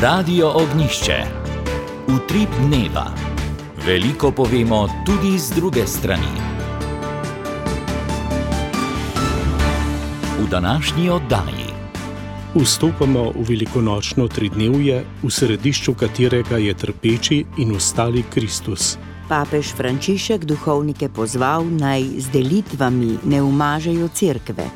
Radio Ognišče. Utrip dneva. Veliko povemo tudi z druge strani. V današnji oddaji vstopamo v velikonočno tridnevje, v središču katerega je trpeči in ostali Kristus. Papež Frančišek duhovnike pozval, naj z delitvami ne umažejo cerkve.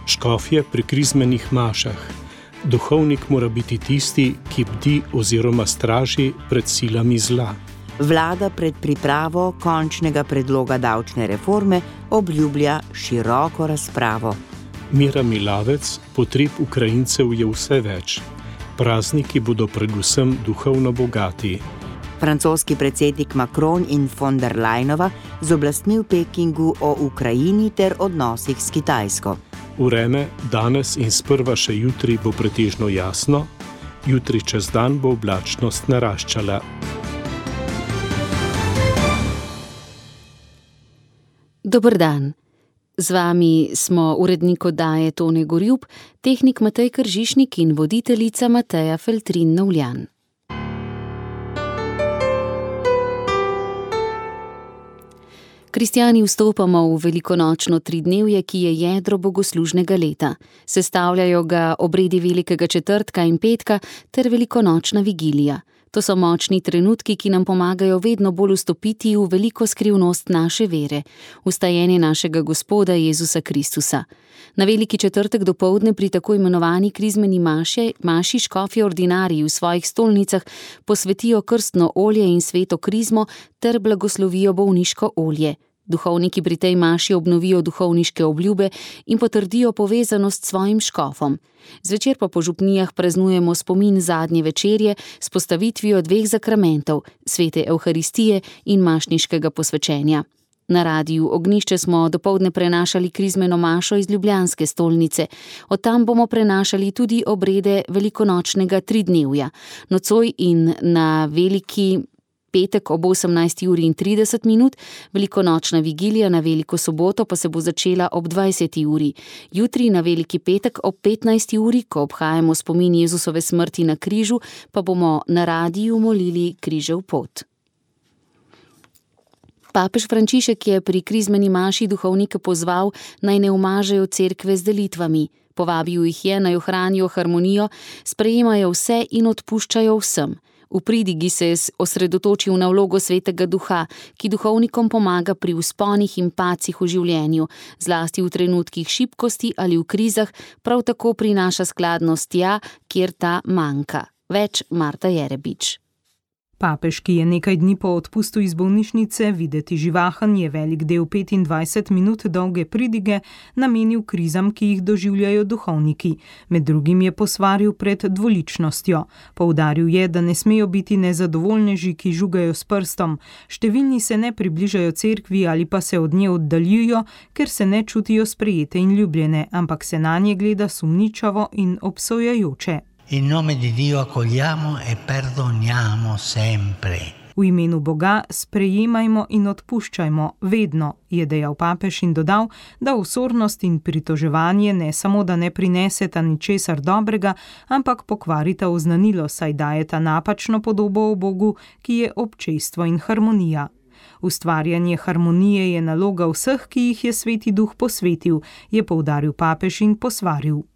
Škofje pri krizmenih mašah. Duhovnik mora biti tisti, ki bdi oziroma straži pred silami zla. Vlada pred pripravo končnega predloga davčne reforme obljublja široko razpravo. Mira Milavec, potreb Ukrajincev je vse več. Prazniki bodo predvsem duhovno bogati. Francoski predsednik Macron in von der Leyenova z oblastmi v Pekingu o Ukrajini ter odnosih s Kitajsko. Vreme danes in sprva še jutri bo pretežno jasno, jutri čez dan bo oblačnost naraščala. Dober dan. Z vami smo urednik oddaje Tone Gorjup, tehnik Matej Kržišnik in voditeljica Mateja Feltrin-Novljan. Kristjani vstopamo v velikonočno tridnevje, ki je jedro bogoslužnega leta. Sestavljajo ga obredi velikega četrtka in petka ter velikonočna vigilija. To so močni trenutki, ki nam pomagajo vedno bolj vstopiti v veliko skrivnost naše vere, vstajenje našega Gospoda Jezusa Kristusa. Na veliki četrtek dopoldne pri tako imenovani krizmeni maši škofje ordinariji v svojih stolnicah posvetijo krstno olje in sveto krizmo ter blagoslovijo bolniško olje. Duhovniki pri tej maši obnovijo duhovniške obljube in potrdijo povezanost s svojim škofom. Zvečer pa po župnijah praznujemo spomin zadnje večerje s postavitvijo dveh zakramentov, svete Evharistije in mašniškega posvečenja. Na Radiu Ognišče smo dopoldne prenašali krizmeno mašo iz ljubljanske stolnice. Od tam bomo prenašali tudi obrede velikonočnega tridnevja. Nocoj in na veliki petek ob 18:30, velikonočna vigilija na veliko soboto pa se bo začela ob 20:00. Jutri na veliki petek ob 15:00, ko obhajamo spomin Jezusove smrti na križu, pa bomo na radiju molili križev pot. Papež Frančišek je pri krizmeni maši duhovnike pozval, naj ne umažejo cerkve z delitvami. Povabil jih je, naj ohranijo harmonijo, sprejemajo vse in odpuščajo vsem. V pridigi se je osredotočil na vlogo svetega duha, ki duhovnikom pomaga pri vzponih in padcih v življenju, zlasti v trenutkih šibkosti ali v krizah, prav tako prinaša skladnost tja, kjer ta manjka. Več Marta Jerebič. Papež, ki je nekaj dni po odpustu iz bolnišnice videti živahen, je velik del 25 minut dolge pridige namenil krizam, ki jih doživljajo duhovniki. Med drugim je posvaril pred dvoličnostjo. Poudaril je, da ne smejo biti nezadovoljneži, ki žugajo s prstom. Številni se ne približajo cerkvi ali pa se od nje oddaljujo, ker se ne čutijo sprejete in ljubljene, ampak se nanje gleda sumničavo in obsojajoče. In nome di Dio accogliamo e perdoniamo sempre. V imenu Boga sprejemajmo in odpuščajmo vedno, je dejal papež in dodal, da osornost in pritoževanje ne samo, da ne prineseta ničesar dobrega, ampak pokvarita oznanilo, saj dajeta napačno podobo o Bogu, ki je občestvo in harmonija. Ustvarjanje harmonije je naloga vseh, ki jih je Sveti Duh posvetil, je poudaril papež in posvaril.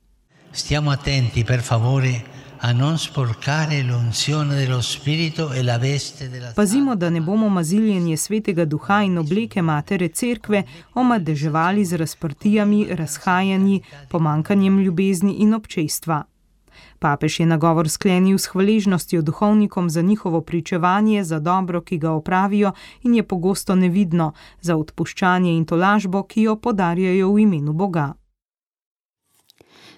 Stiamo attenti, per favore, a non sporcare l'unzione dello Spirito e la veste della... Pazimo, da ne bomo maziljenje Svetega Duha in obleke Matere Cerkve omadeževali z razprtijami, razhajanji, pomanjkanjem ljubezni in občestva. Papež je nagovor sklenil s hvaležnostjo duhovnikom za njihovo pričevanje, za dobro, ki ga opravijo in je pogosto nevidno, za odpuščanje in tolažbo, ki jo podarjajo v imenu Boga.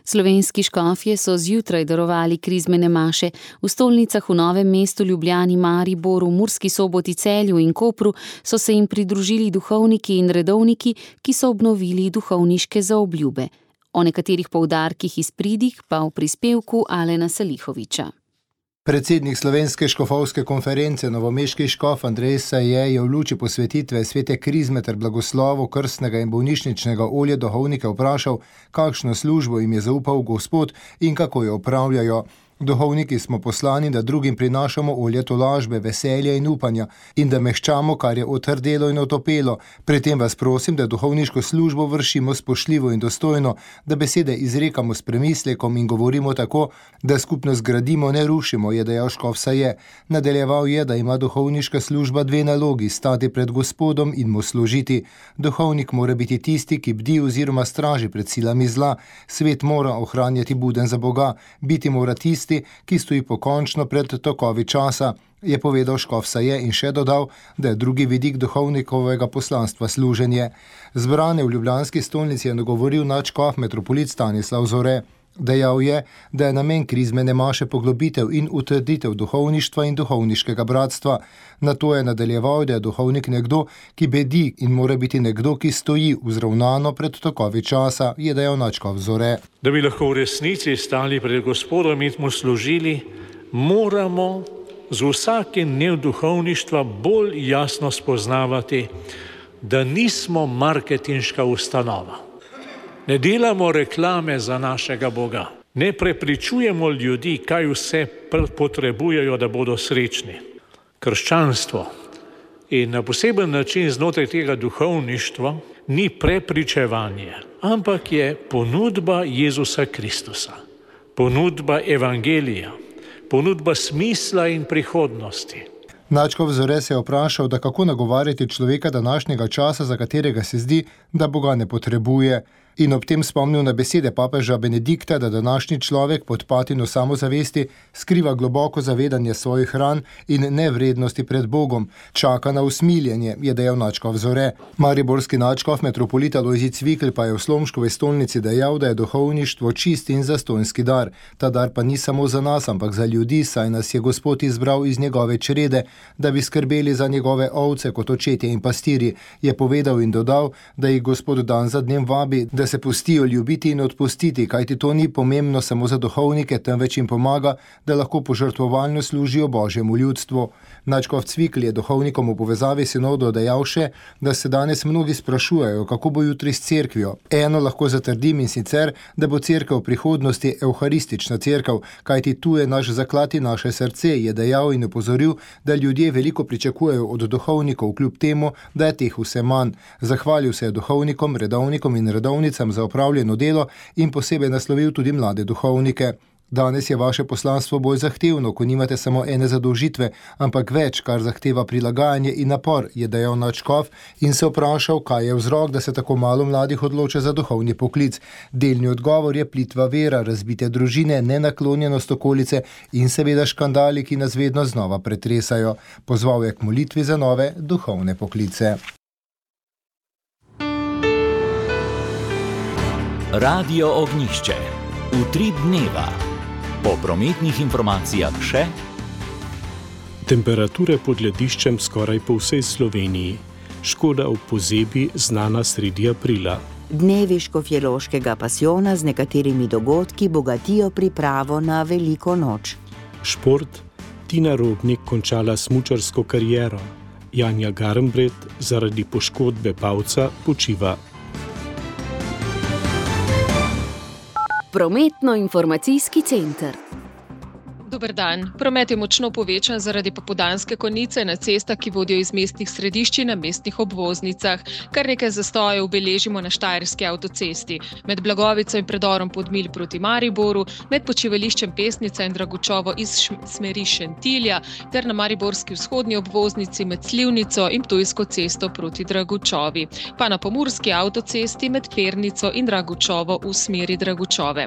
Slovenski škofje so zjutraj darovali krizmene maše. V stolnicah v Novem mestu, Ljubljani, Mariboru, Murski Soboti, Celju in Kopru so se jim pridružili duhovniki in redovniki, ki so obnovili duhovniške zaobljube. O nekaterih poudarkih iz pridig pa v prispevku Alena Salihoviča. Predsednik Slovenske škofovske konference, novomeški škof Andrej Saje, je v luči posvetitve svete krizme ter blagoslovu krstnega in bolnišničnega olja duhovnike vprašal, kakšno službo jim je zaupal Gospod in kako jo opravljajo. Duhovniki smo poslani, da drugim prinašamo olje tolažbe, veselja in upanja in da mehčamo, kar je otrdelo in otopelo. Pri tem vas prosim, da duhovniško službo vršimo spoštljivo in dostojno, da besede izrekamo s premislekom in govorimo tako, da skupnost gradimo, ne rušimo, je dejal škof Saje. Nadaljeval je, da ima duhovniška služba dve nalogi, stati pred Gospodom in mu služiti. Duhovnik mora biti tisti, ki bdi oziroma straži pred silami zla. Svet mora ohranjati buden za Boga, biti mora tisti, ki stoji pokončno pred tokovi časa, je povedal škof Saje in še dodal, da je drugi vidik duhovnikovega poslanstva služenje. Zbrane v ljubljanski stolnici je nagovoril nadškof metropolit Stanislav Zore. Dejal je, da je namen krizmene maše poglobitev in utrditev duhovništva in duhovniškega bratstva. Nato je nadaljeval, da je duhovnik nekdo, ki bedi in mora biti nekdo, ki stoji vzravnano pred tokovi časa, je dejal nadškof Zore. Da bi lahko v resnici stali pred Gospodom in mu služili, moramo z vsakim dnem duhovništva bolj jasno spoznavati, da nismo marketinška ustanova. Ne delamo reklame za našega Boga. Ne prepričujemo ljudi, kaj vse potrebujejo, da bodo srečni. Krščanstvo in na poseben način znotraj tega duhovništva ni prepričevanje, ampak je ponudba Jezusa Kristusa, ponudba evangelija, ponudba smisla in prihodnosti. Nadškof Zore se je vprašal, da kako nagovarjati človeka današnjega časa, za katerega se zdi, da Boga ne potrebuje, in ob tem spomnil na besede papeža Benedikta, da današnji človek pod patino samozavesti skriva globoko zavedanje svojih ran in nevrednosti pred Bogom. Čaka na usmiljenje, je dejal nadškof Zore. Mariborski nadškof metropolit Alojzij Cvikl pa je v Slomškovi stolnici dejal, da je duhovništvo čist in zastonjski dar. Ta dar pa ni samo za nas, ampak za ljudi, saj nas je Gospod izbral iz njegove črede, da bi skrbeli za njegove ovce kot očetje in pastirji, je povedal in dodal, da jih Gospod dan za dnem vabi, da se pustijo ljubiti in odpustiti, kajti to ni pomembno samo za duhovnike, temveč jim pomaga, da lahko požrtvovalno služijo Božjemu ljudstvu. Nadškof Cvikl je duhovnikom v povezavi sinodo dejal še, da se danes mnogi sprašujejo, kako bo jutri s cerkvijo. Eno lahko zatrdim, in sicer, da bo cerkev v prihodnosti evharistična cerkev, kajti tu je naš zaklad in naše srce, je dejal in opozoril, da ljudje veliko pričakujejo od duhovnikov, kljub temu, da je teh vse manj. Zahvalil se je duhovnikom, redovnikom in redovnicam za opravljeno delo in posebej naslovil tudi mlade duhovnike. Danes je vaše poslanstvo bolj zahtevno, ko nimate samo ene zadolžitve, ampak več, kar zahteva prilagajanje in napor, je dejal nadškof in se vprašal, kaj je vzrok, da se tako malo mladih odloča za duhovni poklic. Delni odgovor je plitva vera, razbite družine, nenaklonjenost okolice in seveda škandali, ki nas vedno znova pretresajo. Pozval je k molitvi za nove duhovne poklice. Radio Ognjišče. Utrip dneva. Po prometnih informacijah še: temperature pod lediščem skoraj po vsej Sloveniji. Škoda v pozebi znana sredi aprila. Dnevi škofjeloškega pasijona z nekaterimi dogodki bogatijo pripravo na veliko noč. Šport. Tina Robnik končala smučarsko kariero. Janja Garnbret zaradi poškodbe palca počiva. Prometno-informacijski center. Dober dan. Promet je močno povečan zaradi popoldanske konice na cestah, ki vodijo iz mestnih središč na mestnih obvoznicah. Kar nekaj zastojev beležimo na Štajerski avtocesti. Med Blagovico in predorom Podmilj proti Mariboru, med počivališčem Pesnica in Dragučovo iz smeri Šentilja ter na mariborski vzhodni obvoznici med Slivnico in Ptujsko cesto proti Dragučovi. Pa na pomurski avtocesti med Pernico in Dragučovo v smeri Dragučove.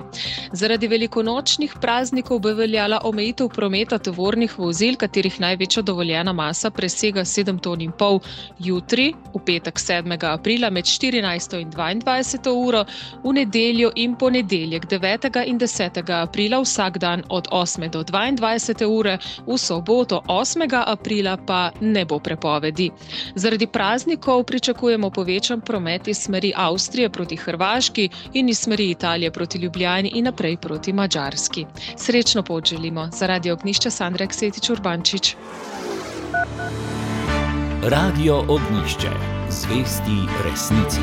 Zaradi velikonočnih praznikov bo veljala omejitev prometa tovornih vozil, katerih največja dovoljena masa presega 7,5 ton. Jutri, v petek 7. aprila med 14. in 22. uro, v nedeljo in ponedeljek 9. in 10. aprila vsak dan od 8. do 22. ure, v soboto 8. aprila pa ne bo prepovedi. Zaradi praznikov pričakujemo povečan promet iz smeri Avstrije proti Hrvaški in iz smeri Italije proti Ljubljani in naprej proti Madžarski. Srečno pot želimo. Za Radio Ognjišče Sandra Ksetič-Urbančič. Radio Ognjišče. Zvesti resnici.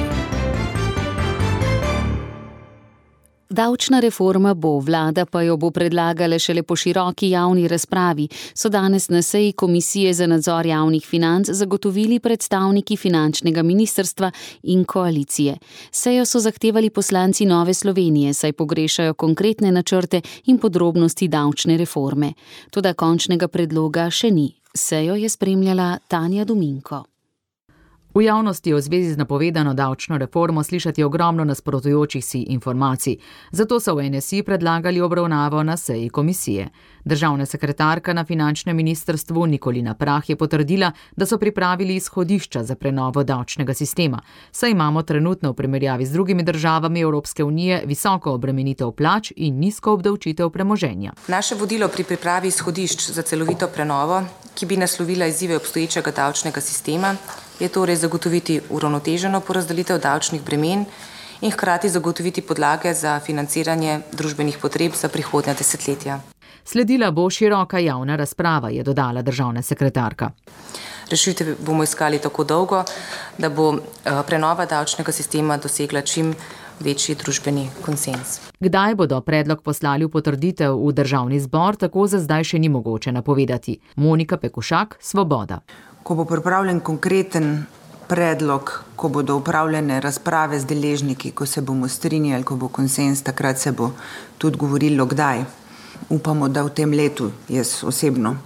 Davčna reforma bo, vlada pa jo bo predlagala šele po široki javni razpravi, so danes na seji Komisije za nadzor javnih financ zagotovili predstavniki finančnega ministrstva in koalicije. Sejo so zahtevali poslanci Nove Slovenije, saj pogrešajo konkretne načrte in podrobnosti davčne reforme. Toda končnega predloga še ni. Sejo je spremljala Tanja Dominko. V javnosti je v zvezi z napovedano davčno reformo slišati ogromno nasprotujočih si informacij. Zato so v NSI predlagali obravnavo na seji komisije. Državna sekretarka na finančnem ministrstvu Nikolina Prah je potrdila, da so pripravili izhodišča za prenovo davčnega sistema. Saj imamo trenutno v primerjavi z drugimi državami Evropske unije visoko obremenitev plač in nizko obdavčitev premoženja. Naše vodilo pri pripravi izhodišč za celovito prenovo, ki bi naslovila izzive obstoječega davčnega sistema, je torej zagotoviti uravnoteženo porazdelitev davčnih bremen in hkrati zagotoviti podlage za financiranje družbenih potreb za prihodnja desetletja. Sledila bo široka javna razprava, je dodala državna sekretarka. Rešitve bomo iskali tako dolgo, da bo prenova davčnega sistema dosegla čim večji družbeni konsens. Kdaj bodo predlog poslali v potrditev v državni zbor, tako za zdaj še ni mogoče napovedati. Monika Pekušak, Svoboda. Ko bo pripravljen konkreten predlog, ko bodo upravljene razprave z deležniki, ko se bomo strinjali, ko bo konsens, takrat se bo tudi govorilo kdaj. Upamo, da v tem letu, jaz osebno.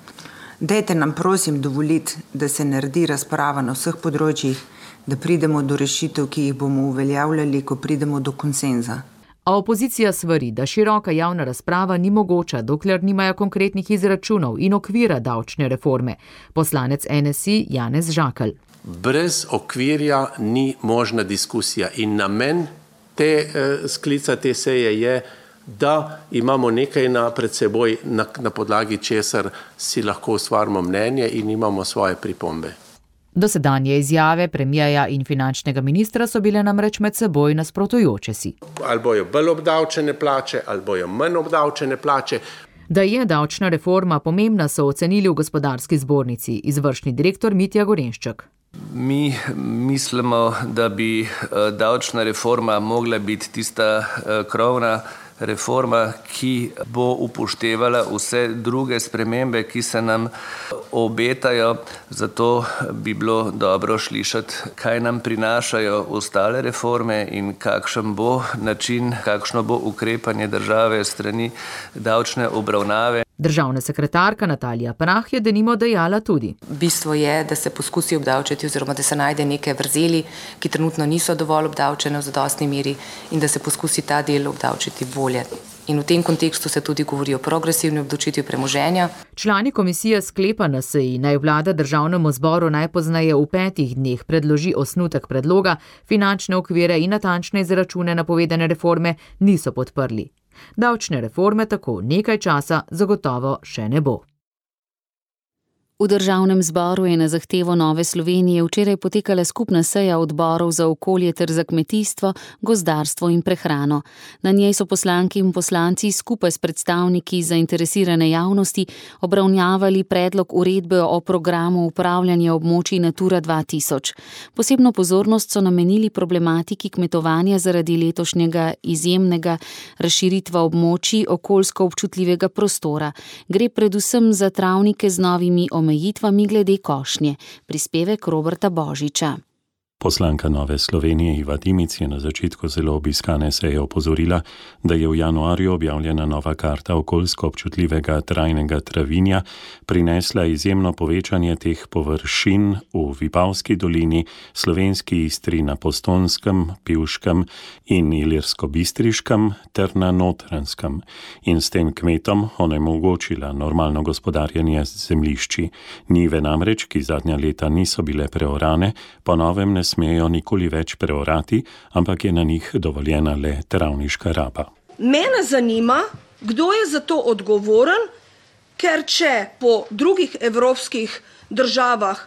Dajte nam prosim dovoliti, da se naredi razprava na vseh področjih, da pridemo do rešitev, ki jih bomo uveljavljali, ko pridemo do konsenza. A opozicija svari, da široka javna razprava ni mogoča, dokler nimajo konkretnih izračunov in okvira davčne reforme. Poslanec NSI Janez Žakelj. Brez okvirja ni možna diskusija in namen sklica te seje je, da imamo nekaj pred seboj, na podlagi česar si lahko ustvarimo mnenje in imamo svoje pripombe. Dosedanje izjave premierja in finančnega ministra so bile namreč med seboj nasprotujoče si. Ali bojo bolj obdavčene plače, ali bojo manj obdavčene plače. Da je davčna reforma pomembna, so ocenili v gospodarski zbornici, izvršni direktor Mitja Gorenšček. Mi mislimo, da bi davčna reforma mogla biti tista krovna reforma, ki bo upoštevala vse druge spremembe, ki se nam obetajo. Zato bi bilo dobro slišati, kaj nam prinašajo ostale reforme in kakšen bo način, kakšno bo ukrepanje države strani davčne obravnave. Državna sekretarka Natalija Prah je denimo dejala tudi. Bistvo je, da se poskusi obdavčiti oziroma da se najde neke vrzeli, ki trenutno niso dovolj obdavčene v zadostni meri in da se poskusi ta del obdavčiti bolje. In v tem kontekstu se tudi govori o progresivni obdavčitvi premoženja. Člani komisije sklepa na seji, naj vlada državnemu zboru najpozneje v 5 dneh predloži osnutek predloga, finančne okvire in natančne izračune napovedane reforme niso podprli. Davčne reforme tako nekaj časa zagotovo še ne bo. V državnem zboru je na zahtevo Nove Slovenije včeraj potekala skupna seja odborov za okolje ter za kmetijstvo, gozdarstvo in prehrano. Na njej so poslanke in poslanci skupaj s predstavniki zainteresirane javnosti obravnavali predlog uredbe o programu upravljanja območij Natura 2000. Posebno pozornost so namenili problematiki kmetovanja zaradi letošnjega izjemnega razširitva območij okoljsko občutljivega prostora. Gre predvsem za travnike z novimi omejitvami glede košnje. Prispevek Roberta Božiča. Poslanka Nove Slovenije Iva Dimic je na začetku zelo obiskane seje opozorila, da je v januarju objavljena nova karta okoljsko občutljivega trajnega travinja prinesla izjemno povečanje teh površin v Vipavski dolini, Slovenski Istri na Postonskem, Pivškem in Ilirsko-Bistriškem ter na Notranjskem in s tem kmetom onemogočila normalno gospodarjenje z zemljišči. Njive namreč, ki zadnja leta niso bile preorane, po novem ne smejo nikoli več preorati, ampak je na njih dovoljena le travniška raba. Mene zanima, kdo je za to odgovoren, ker če po drugih evropskih državah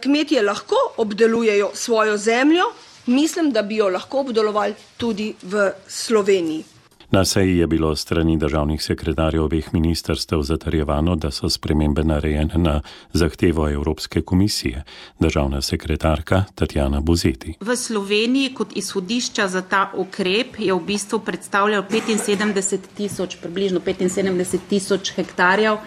kmetje lahko obdelujejo svojo zemljo, mislim, da bi jo lahko obdelovali tudi v Sloveniji. Na seji je bilo strani državnih sekretarjev obeh ministrstev zatrjevano, da so spremembe narejene na zahtevo Evropske komisije. Državna sekretarka Tatjana Buzeti. V Sloveniji kot izhodišča za ta ukrep je v bistvu predstavljal približno 75 tisoč hektarjev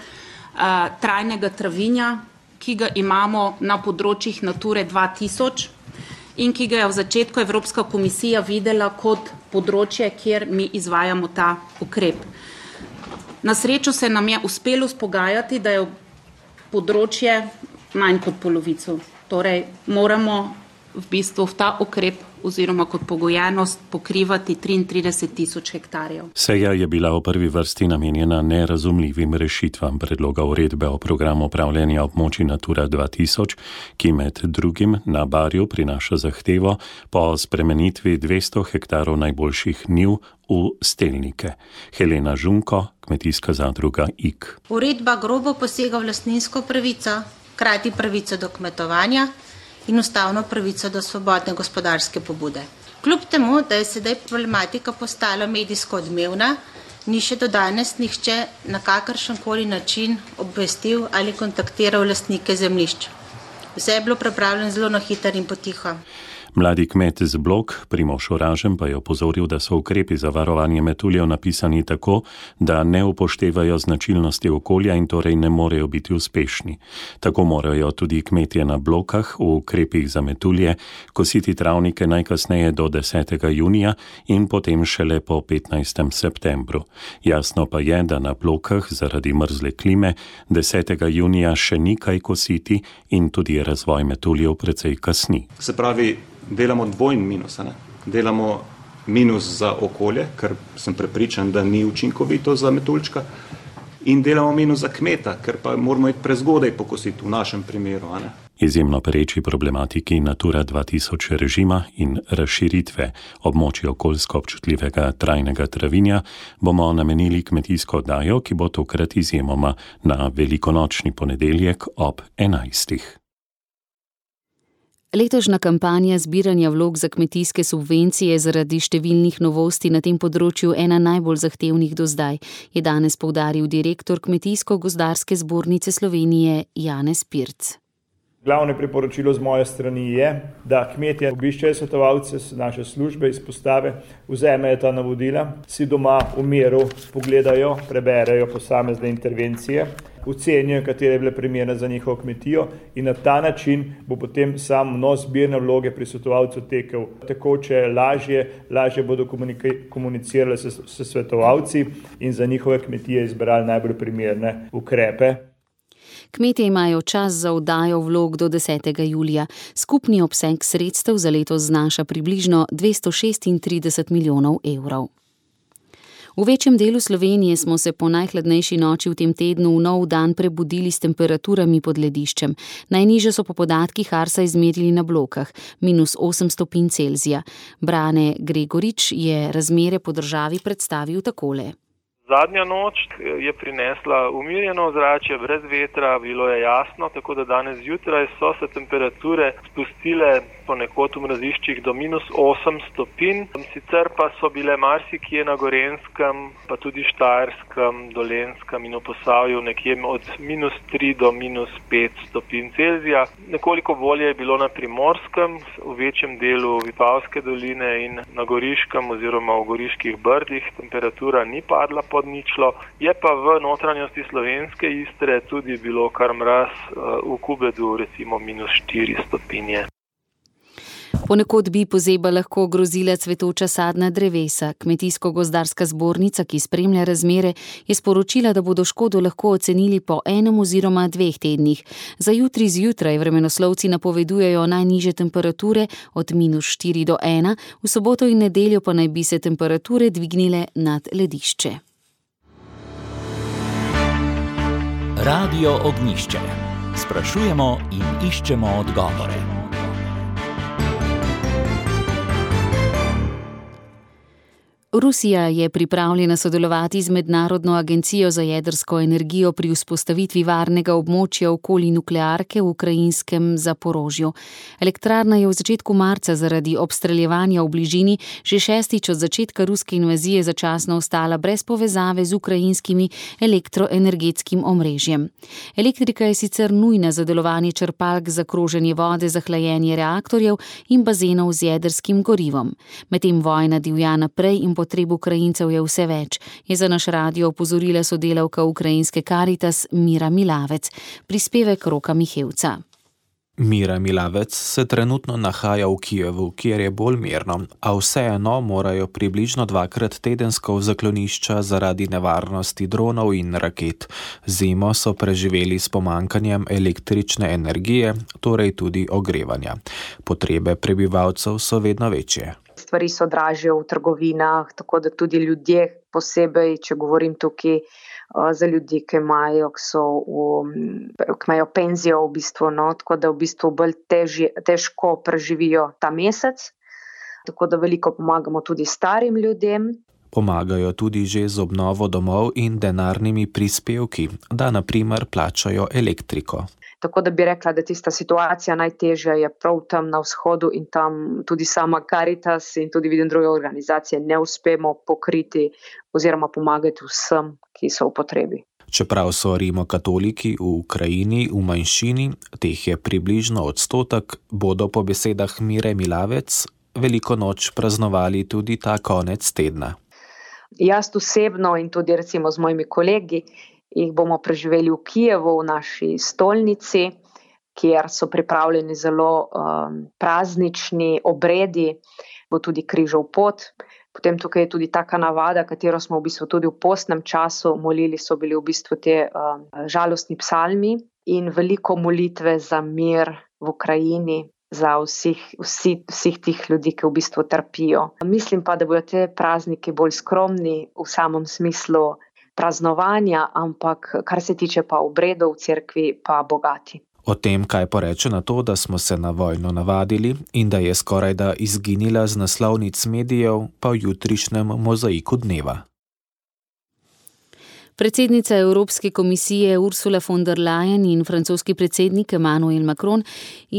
trajnega travinja, ki ga imamo na področjih Nature 2000 in ki ga je v začetku Evropska komisija videla kot področje, kjer mi izvajamo ta ukrep. Na srečo se nam je uspelo spogajati, da je področje manj kot polovico. Torej moramo v bistvu v ta ukrep oziroma kot pogojenost pokrivati 33 tisoč hektarjev. Seja je bila v prvi vrsti namenjena nerazumljivim rešitvam predloga uredbe o programu upravljanja območij Natura 2000, ki med drugim na Barju prinaša zahtevo po spremenitvi 200 hektarov najboljših njiv v stelnike. Helena Žunko, kmetijska zadruga IK. Uredba grobo posega v lastninsko pravico, hkrati pravico do kmetovanja in ustavno pravico do svobodne gospodarske pobude. Kljub temu, da je sedaj problematika postala medijsko odmevna, ni še do danes nihče na kakršenkoli način obvestil ali kontaktiral lastnike zemljišč. Vse je bilo pripravljeno zelo na hitro in potiho. Mladi kmet z Blok, Primož Oražem, pa je opozoril, da so ukrepi za varovanje metuljev napisani tako, da ne upoštevajo značilnosti okolja in torej ne morejo biti uspešni. Tako morajo tudi kmetje na Blokah v ukrepih za metulje kositi travnike najkasneje do 10. junija in potem šele po 15. septembru. Jasno pa je, da na Blokah zaradi mrzle klime 10. junija še ni kaj kositi in tudi razvoj metuljev precej kasni. Se pravi, delamo dvojni minus. Delamo minus za okolje, ker sem prepričan, da ni učinkovito za metuljčka, in delamo minus za kmeta, ker pa moramo iti prezgodaj pokositi v našem primeru. Izjemno pereči problematiki Natura 2000 režima in razširitve območja okoljsko občutljivega trajnega travinja bomo namenili kmetijsko oddajo, ki bo tokrat izjemoma na velikonočni ponedeljek ob 11. Letošnja kampanja zbiranja vlog za kmetijske subvencije zaradi številnih novosti na tem področju ena najbolj zahtevnih do zdaj, je danes poudaril direktor Kmetijsko-gozdarske zbornice Slovenije Janez Pirc. Glavno priporočilo z moje strani je, da kmetje obiščejo svetovalce naše službe, izpostave, vzamejo ta navodila, si doma v miru pogledajo, preberejo posamezne intervencije, ocenijo, katere bile primerne za njihovo kmetijo in na ta način bo potem sam vnos zbirne vloge pri svetovalcu tekel tekoče, lažje bodo komunicirali s svetovalci in za njihove kmetije izbrali najbolj primerne ukrepe. Kmetje imajo čas za oddajo vlog do 10. julija. Skupni obseg sredstev za letos znaša približno 236 milijonov evrov. V večjem delu Slovenije smo se po najhladnejši noči v tem tednu v nov dan prebudili s temperaturami pod lediščem. Najnižje so po podatkih Arsa izmerili na Blokah, -8 stopinj Celzija. Brane Gregorič je razmere po državi predstavil takole. Zadnja noč je prinesla umirjeno ozračje, brez vetra, bilo je jasno, tako da danes zjutraj so se temperature spustile ponekod v mraziščih do -8 stopinj. Sicer pa so bile marsikje na Gorenjskem, pa tudi Štajerskem, Dolenjskem in v Posavju nekje od -3 do -5 stopinj Celzija. Nekoliko bolje je bilo na Primorskem, v večjem delu Vipavske doline in na Goriškem oziroma v Goriških brdih temperatura ni padla pod ničlo. Je pa v notranjosti slovenske Istre tudi bilo kar mraz, v Kubedu recimo -4 stopinje. Ponekod bi pozeba lahko grozila cvetoča sadna drevesa. Kmetijsko-gozdarska zbornica, ki spremlja razmere, je sporočila, da bodo škodo lahko ocenili po 1 oziroma 2 tednih. Za jutri zjutraj vremenoslovci napovedujejo najnižje temperature od -4 do 1, v soboto in nedeljo pa naj bi se temperature dvignile nad ledišče. Radio Ognjišče. Sprašujemo in iščemo odgovore. Rusija je pripravljena sodelovati z Mednarodno agencijo za jedrsko energijo pri vzpostavitvi varnega območja okoli nuklearke v ukrajinskem Zaporožju. Elektrarna je v začetku marca zaradi obstreljevanja v bližini že 6. od začetka ruske invazije začasno ostala brez povezave z ukrajinskimi elektroenergetskim omrežjem. Elektrika je sicer nujna za delovanje črpalk za kroženje vode za hlajenje reaktorjev in bazenov z jedrskim gorivom. Medtem vojna divja naprej in potreb Ukrajincev je vse več, je za naš radio opozorila sodelavka ukrajinske Caritas Mira Milavec. Prispevek Roka Mihevca. Mira Milavec se trenutno nahaja v Kijevu, kjer je bolj mirno, a vseeno morajo približno 2-krat tedensko v zaklonišča zaradi nevarnosti dronov in raket. Zimo so preživeli s pomanjkanjem električne energije, torej tudi ogrevanja. Potrebe prebivalcev so vedno večje. Stvari so dražje v trgovinah, tako da tudi ljudje posebej, če govorim tukaj za ljudi, ki imajo penzijo v bistvu, tako da v bistvu bolj težko preživijo ta mesec. Tako da veliko pomagamo tudi starim ljudem. Pomagajo tudi že z obnovo domov in denarnimi prispevki, da na primer plačajo elektriko. Tako da bi rekla, da tista situacija najtežja je prav tam na vzhodu in tam tudi sama Caritas in tudi vidim druge organizacije ne uspemo pokriti oziroma pomagati vsem, ki so v potrebi. Čeprav so rimokatoliki v Ukrajini v manjšini, teh je približno 1%, bodo po besedah Mire Milavec veliko noč praznovali tudi ta konec tedna. Jaz osebno in tudi recimo z mojimi kolegi jih bomo preživeli v Kijevu, v naši stolnici, kjer so pripravljeni zelo praznični obredi, bo tudi križev pot. Potem tukaj je tudi taka navada, katero smo v bistvu tudi v postnem času molili, so bili v bistvu te žalostni psalmi in veliko molitve za mir v Ukrajini, za vseh tih ljudi, ki v bistvu trpijo. Mislim pa, da bodo te prazniki bolj skromni v samem smislu praznovanja, ampak kar se tiče pa obredov v cerkvi, pa bogati. O tem, kaj poreče na to, da smo se na vojno navadili in da je skorajda izginila z naslovnic medijev, pa v jutrišnjem mozaiku dneva. Predsednica Evropske komisije Ursula von der Leyen in francoski predsednik Emmanuel Macron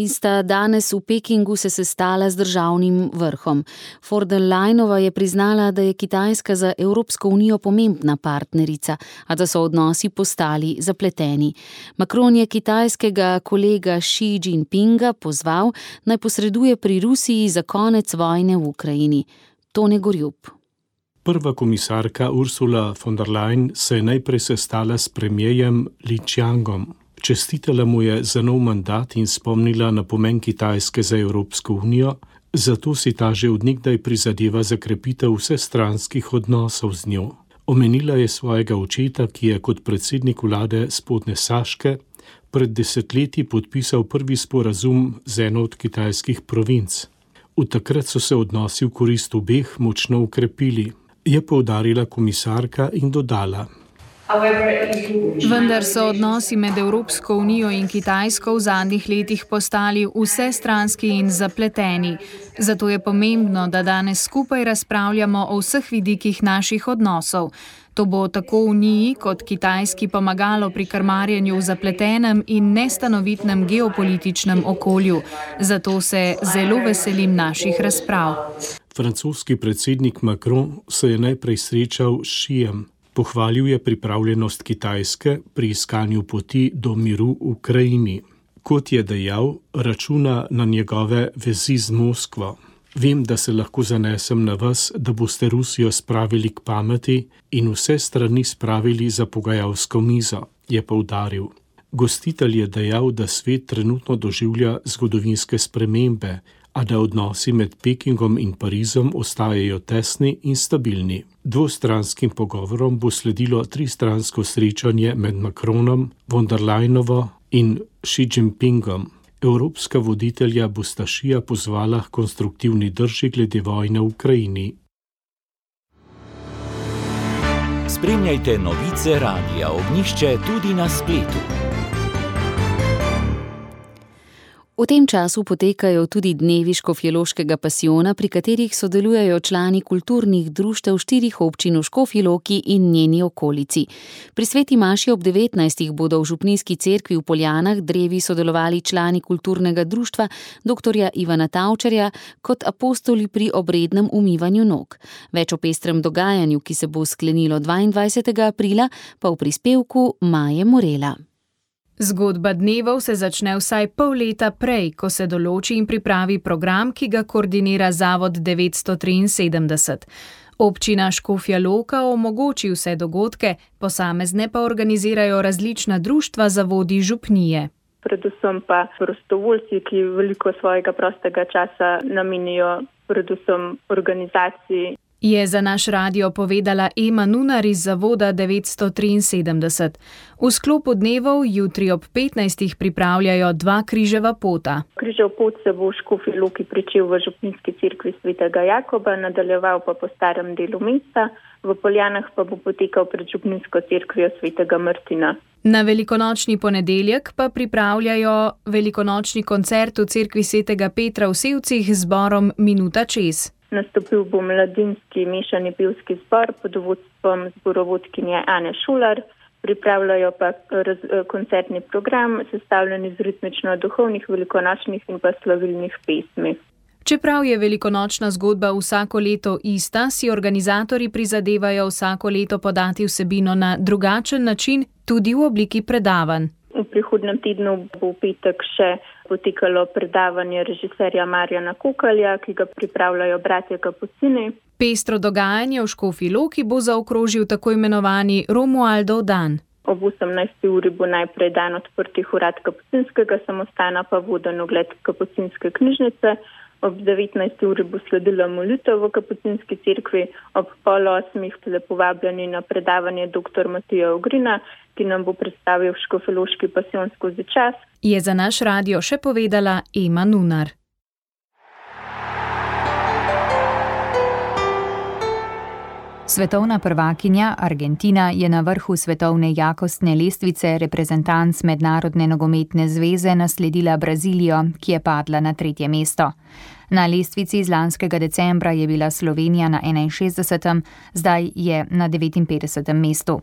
sta danes v Pekingu se sestala z državnim vrhom. Von der Leyenova je priznala, da je Kitajska za Evropsko unijo pomembna partnerica, a da so odnosi postali zapleteni. Macron je kitajskega kolega Xi Jinpinga pozval, naj posreduje pri Rusiji za konec vojne v Ukrajini. Tone Gorjup. Prva komisarka Ursula von der Leyen se je najprej sestala s premierjem Li Qiangom. Čestitala mu je za nov mandat in spomnila na pomen Kitajske za Evropsko unijo, zato si ta že od nekdaj prizadeva za krepitev vsestranskih odnosov z njo. Omenila je svojega očeta, ki je kot predsednik vlade Spodnje Saške pred desetletji podpisal prvi sporazum z eno od kitajskih provinc. Od takrat so se odnosi v korist obeh močno ukrepili, je poudarila komisarka in dodala. Vendar so odnosi med Evropsko unijo in Kitajsko v zadnjih letih postali vsestranski in zapleteni. Zato je pomembno, da danes skupaj razpravljamo o vseh vidikih naših odnosov. To bo tako Uniji kot Kitajski pomagalo pri krmarjenju v zapletenem in nestanovitnem geopolitičnem okolju. Zato se zelo veselim naših razprav. Francoski predsednik Macron se je najprej srečal s Xijem. Pohvalil je pripravljenost Kitajske pri iskanju poti do miru v Ukrajini. Kot je dejal, računa na njegove vezi z Moskvo. Vem, da se lahko zanesem na vas, da boste Rusijo spravili k pameti in vse strani spravili za pogajalsko mizo, je poudaril. Gostitelj je dejal, da svet trenutno doživlja zgodovinske spremembe, a da odnosi med Pekingom in Parizom ostajajo tesni in stabilni. Dvostranskim pogovorom bo sledilo tristransko srečanje med Macronom, von der Leyenovo in Xi Jinpingom. Evropska voditelja bosta Xija pozvala k konstruktivni drži glede vojne v Ukrajini. Spremljajte novice Radia Ognjišče tudi na spletu. V tem času potekajo tudi dnevi Škofjeloškega pasijona, pri katerih sodelujejo člani kulturnih društev 4 občin v Škofji Loki in njeni okolici. Pri sveti maši ob 19. bodo v župnijski cerkvi v Poljanah drevi sodelovali člani kulturnega društva dr. Ivana Tavčarja kot apostoli pri obrednem umivanju nog. Več o pestrem dogajanju, ki se bo sklenilo 22. aprila, pa v prispevku Maje Morela. Zgodba dnevov se začne vsaj pol leta prej, ko se določi in pripravi program, ki ga koordinira Zavod 973. Občina Škofja Loka omogoči vse dogodke, posamezne pa organizirajo različna društva zavodi župnije. Predvsem pa prostovoljci, ki veliko svojega prostega časa namenijo predvsem organizaciji. Je za naš radio povedala Ema Nunar iz Zavoda 973. V sklopu dnevov jutri ob 15. pripravljajo 2 križeva pota. Križev pot se bo v Škofji Loki pričel v župnijski cerkvi svetega Jakoba, nadaljeval pa po starem delu mesta, v Poljanah pa bo potekal pred župnijsko cerkvijo svetega Martina. Na velikonočni ponedeljek pa pripravljajo velikonočni koncert v cerkvi svetega Petra v Sevcih z zborom Minuta čez. Nastopil bo mladinski mešani pevski zbor pod vodstvom zborovodkinje Ane Šular, pripravljajo pa koncertni program, sestavljen iz ritmično-duhovnih, velikonočnih in pa slavilnih pesmi. Čeprav je velikonočna zgodba vsako leto ista, si organizatorji prizadevajo vsako leto podati vsebino na drugačen način, tudi v obliki predavanj. V prihodnem tednu bo v petek še potekalo predavanje režiserja Marjana Kokalja, ki ga pripravljajo bratje Kapucini. Pestro dogajanje v Škofji Loki bo zaokrožil tako imenovani Romualdov dan. Ob 18. uri bo najprej dan odprtih urad Kapucinskega samostana, pa voden ogled Kapucinske knjižnice. Ob 19. uri bo sledila molitev v Kapucinski cerkvi, ob 7:30 lepo vabljeni na predavanje dr. Matija Ogrina, ki nam bo predstavil Škofjeloški pasijon skozi čas. Je za naš radio še povedala Ema Nunar. Svetovna prvakinja Argentina je na vrhu svetovne jakostne lestvice reprezentanc Mednarodne nogometne zveze nasledila Brazilijo, ki je padla na 3. mesto. Na lestvici iz lanskega decembra je bila Slovenija na 61., zdaj je na 59. mestu.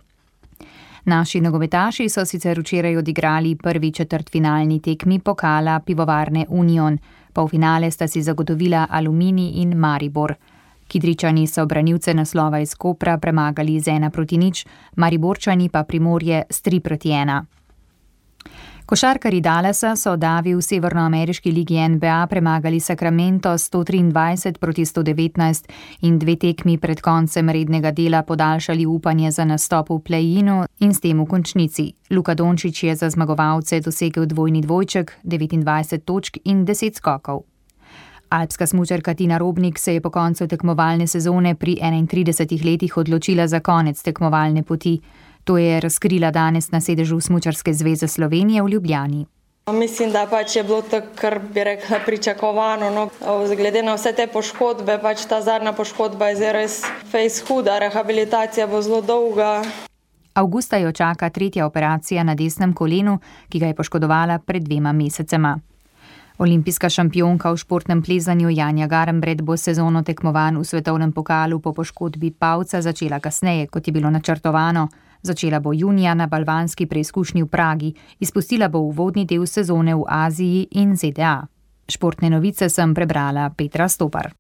Naši nogometaši so sicer včeraj odigrali prvi četrtfinalni tekmi pokala Pivovarne Union. Polfinale sta si zagotovila Aluminij in Maribor. Kidričani so branilce naslova iz Kopra premagali z 1-0, Mariborčani pa Primorje s 3-1. Košarkarji Dallasa so davi v severnoameriški ligi NBA premagali Sacramento 123-119 in 2 tekmi pred koncem rednega dela podaljšali upanje za nastop v play-inu in s tem v končnici. Luka Dončić je za zmagovalce dosegel dvojni dvojček, 29 točk in 10 skokov. Alpska smučarka Tina Robnik se je po koncu tekmovalne sezone pri 31 letih odločila za konec tekmovalne poti. To je razkrila danes na sedežu Smučarske zveze Slovenije v Ljubljani. Mislim, da je bilo to, kar bi rekla, pričakovano. Glede na vse te poškodbe, ta zadnja poškodba je res fejs huda, rehabilitacija bo zelo dolga. Avgusta jo čaka 3. operacija na desnem kolenu, ki ga je poškodovala pred 2 mesecema. Olimpijska šampionka v športnem plezanju Janja Garnbret bo sezono tekmovanj v svetovnem pokalu po poškodbi pavca začela kasneje, kot je bilo načrtovano. Začela bo junija na balvanski preizkušnji v Pragi, izpustila bo uvodni del sezone v Aziji in ZDA. Športne novice sem prebrala Petra Stopar.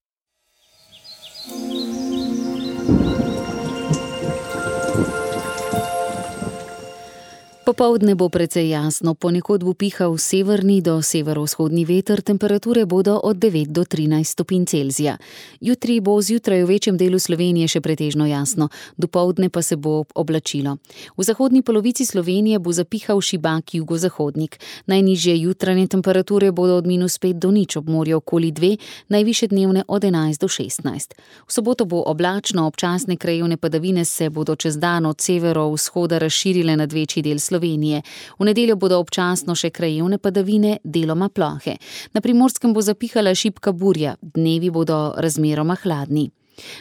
Popoldne bo precej jasno, ponekod bo pihal severni do severovzhodni veter, temperature bodo od 9 do 13 stopinj Celzija. Jutri bo zjutraj v večjem delu Slovenije še pretežno jasno, dopoldne pa se bo oblačilo. V zahodni polovici Slovenije bo zapihal šibak jugozahodnik. Najnižje jutranje temperature bodo od -5 do 0, ob morju okoli 2, najvišje dnevne od 11 do 16. V soboto bo oblačno, občasne krajevne padavine se bodo čez dan od severovzhoda razširile nad večji del Slovenije. V nedeljo bodo občasno še krajevne padavine, deloma plohe. Na Primorskem bo zapihala šibka burja, dnevi bodo razmeroma hladni.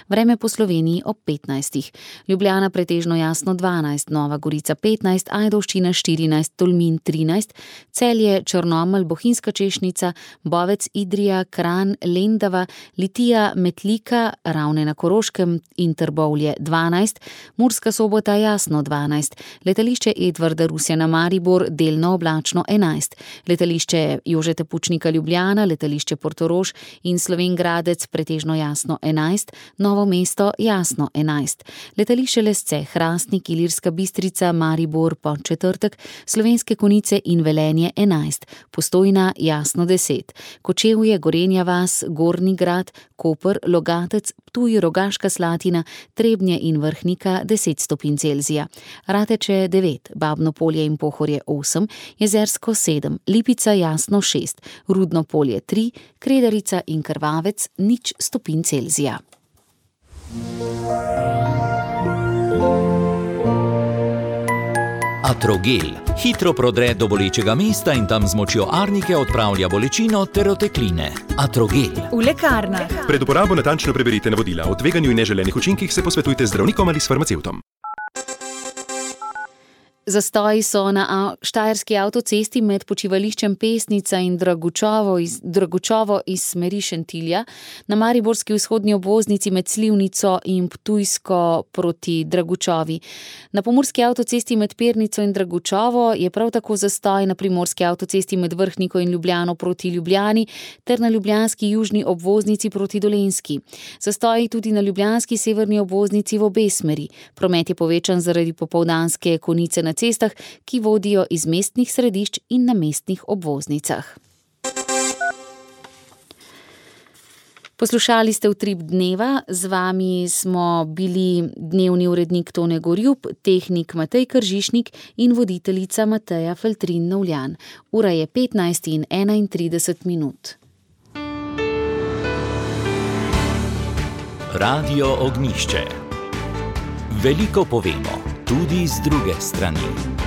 Vreme po Sloveniji ob 15. Ljubljana pretežno jasno 12, Nova Gorica 15, Ajdovščina 14, Tolmin 13, Celje, Črnomelj, Bohinjska Češnica, Bovec, Idrija, Kranj, Lendava, Litija, Metlika, Ravne na Koroškem in Trbovlje 12, Murska Sobota jasno 12, letališče Edvarda Rusjana Maribor delno oblačno 11, letališče Jožeta Pučnika Ljubljana, letališče Portorož in Slovenj Gradec pretežno jasno 11, Novo mesto jasno 11, letališče Lesce, Hrastnik, Ilirska Bistrica, Maribor, Podčetrtek, Slovenske Konjice in Velenje 11, Postojna jasno 10, Kočevje, Gorenja vas, Gornji Grad, Koper, Logatec, Ptuj, Rogaška Slatina, Trebnje in Vrhnika 10 stopinj Celzija, Rateče 9, Babno Polje in Pohorje 8, Jezersko 7, Lipica jasno 6, Rudno Polje 3, Kredarica in Krvavec 0 stopinj Celzija. Atrogel hitro prodre do bolečega mesta in tam z močjo arnike odpravlja bolečino ter otekline. Atrogel. V lekarnah. Pred uporabo natančno preberite navodila. O tveganju in neželenih učinkih se posvetujte z zdravnikom ali s farmacevtom. Zastoji so na štajerski avtocesti med počivališčem Pesnica in Dragučovo iz smeri Šentilja, na mariborski vzhodni obvoznici med Slivnico in Ptujsko proti Dragučovi. Na pomurski avtocesti med Pernico in Dragučovo je prav tako zastoj na primorski avtocesti med Vrhniko in Ljubljano proti Ljubljani ter na ljubljanski južni obvoznici proti Dolenjski. Zastoji tudi na ljubljanski severni obvoznici v obe smeri. Promet je povečan zaradi popoldanske konice na cestah, ki vodijo iz mestnih središč in na mestnih obvoznicah. Poslušali ste Utrip dneva, z vami smo bili dnevni urednik Tone Gorjup, tehnik Matej Kržišnik in voditeljica Mateja Feltrin-Novljan. Ura je 15:31. Radio Ognjišče. Veliko povemo, tudi z druge strani.